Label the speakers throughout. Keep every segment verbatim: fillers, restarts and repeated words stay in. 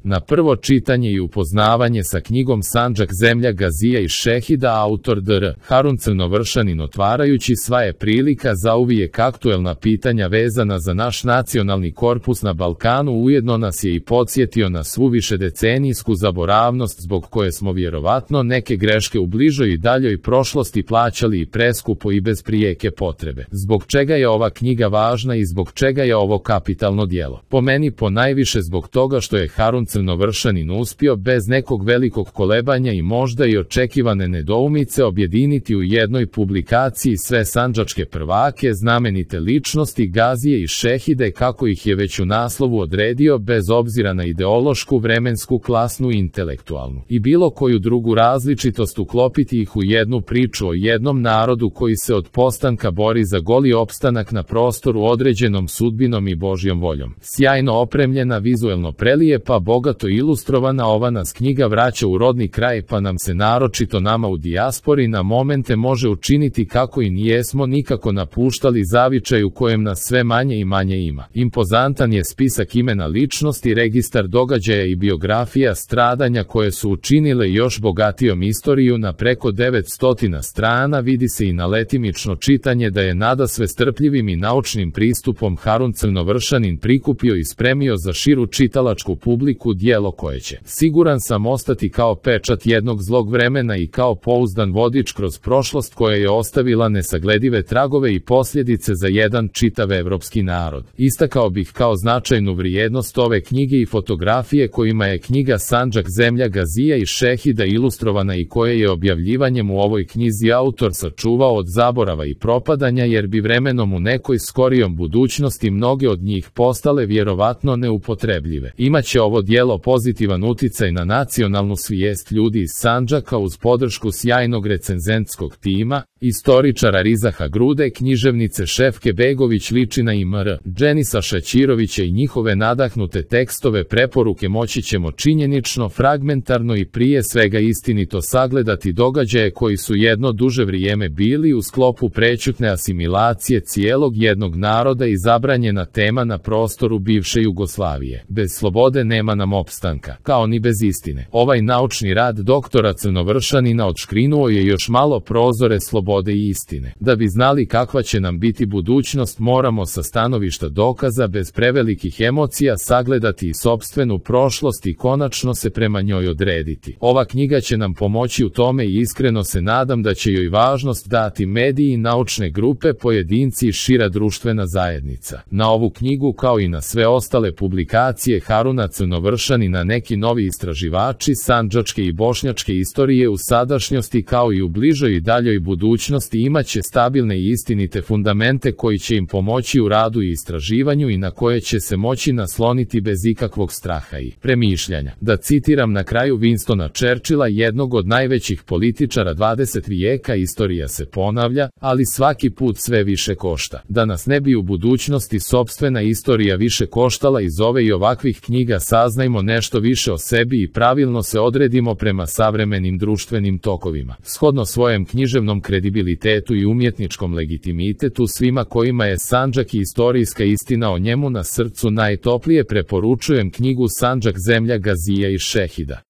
Speaker 1: Na prvo čitanje i upoznavanje sa knjigom Sandžak zemlja Gazija i Šehida autor dr Harun Crnovršanin otvarajući sva je prilika za uvijek aktuelna pitanja vezana za naš nacionalni korpus na Balkanu, ujedno nas je i podsjetio na svu višedecenijsku zaboravnost zbog koje smo vjerovatno neke greške u bližoj i daljoj prošlosti plaćali i preskupo i bez prijeke potrebe. Zbog čega je ova knjiga važna i zbog čega je ovo kapitalno djelo? Po meni ponajviše zbog toga što je Harun Crnovršanin uspio bez nekog velikog kolebanja i možda i očekivane nedoumice objediniti u jednoj publikaciji sve sandžačke prvake, znamenite ličnosti, Gazije i Šehide kako ih je već u naslovu odredio, bez obzira na ideološku, vremensku, klasnu i intelektualnu i bilo koju drugu različitost, uklopiti ih u jednu priču o jednom narodu koji se od postanka bori za goli opstanak na prostoru određenom sudbinom i Božjom voljom. Sjajno opremljena, vizuelno prelijepa, bogato ilustrovana, ova nas knjiga vraća u rodni kraj, pa nam se naročito nama u dijaspori na momente može učiniti kako i nijesmo nikako napuštali zavičaj u kojem nas sve manje i manje ima. Impozantan je spisak imena ličnosti, registar događaja i biografija stradanja koje su učinile još bogatijom istoriju na preko devetsto strana. Vidi se i na letimično čitanje da je nadasve strpljivim i naučnim pristupom Harun Crnovršanin prikupio i spremio za širu čitalačku publiku djelo koje će, siguran sam, ostati kao pečat jednog zlog vremena i kao pouzdan vodič kroz prošlost koja je ostavila nesagledive tragove i posljedice za jedan čitav evropski narod. Istakao bih kao značajnu vrijednost ove knjige i fotografije kojima je knjiga Sandžak zemlja Gazija i Šehida ilustrovana i koje je objavljivanjem u ovoj knjizi autor sačuvao od zaborava i propadanja, jer bi vremenom u nekoj skorijom budućnosti mnoge od njih postale vjerovatno neupotrebljive. Imaće ovo djelo pozitivan uticaj na nacionalnu svijest ljudi iz Sandžaka uz podršku sjajnog recenzentskog tima, istoričara Rizaha Grude, književnice Šefke Begović Ličina i mr. Dženisa Šaćirovića i njihove nadahnute tekstove. Preporuke moći ćemo činjenično, fragmentarno i prije svega istinito sagledati događaje koji su jedno duže vrijeme bili u sklopu prećutne asimilacije cijelog jednog naroda i zabranjena tema na prostoru bivše Jugoslavije. Bez slobode nema nam opstanka, kao ni bez istine. Ovaj naučni rad doktora Crnovršanina odškrinuo je još malo prozore slobode i istine. Da bi znali kakva će nam biti budućnost, moramo sa stanovišta dokaza bez prevelikih emocija sagledati i sopstvenu prošlost i konačno se prema njoj odrediti. Ova knjiga će nam pomoći u tome i iskreno se nadam da će joj važnost dati mediji, naučne grupe, pojedinci i šira društvena zajednica. Na ovu knjigu kao i na sve ostale publikacije Haruna Crnovršanina neki novi istraživači sandžačke i bošnjačke istorije u sadašnjosti kao i u bližoj i daljoj budućnosti imaće stabilne i istinite fundamente koji će im pomoći u radu i istraživanju i na koje će se moći nasloniti bez ikakvog straha i premišljanja. Da citiram na kraju Winstona Churchilla, jednog od najvećih političara dvadesetog vijeka: istorija se ponavlja, ali svaki put sve više košta. Da nas ne bi u budućnosti sopstvena istorija više koštala, iz ove i ovakvih knjiga saznajmo nešto više o sebi i pravilno se odredimo prema savremenim društvenim tokovima. Shodno svojem književnom kredibilitetu i umjetničkom legitimitetu, svima kojima je Sandžak i istorijska istina o njemu na srcu, najtoplije preporučujem knjigu Sandžak zemlja Gazija i Šehida.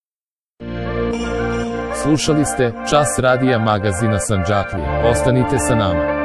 Speaker 1: Slušali ste Čas radija magazina Sandžaklije. Ostanite sa nama.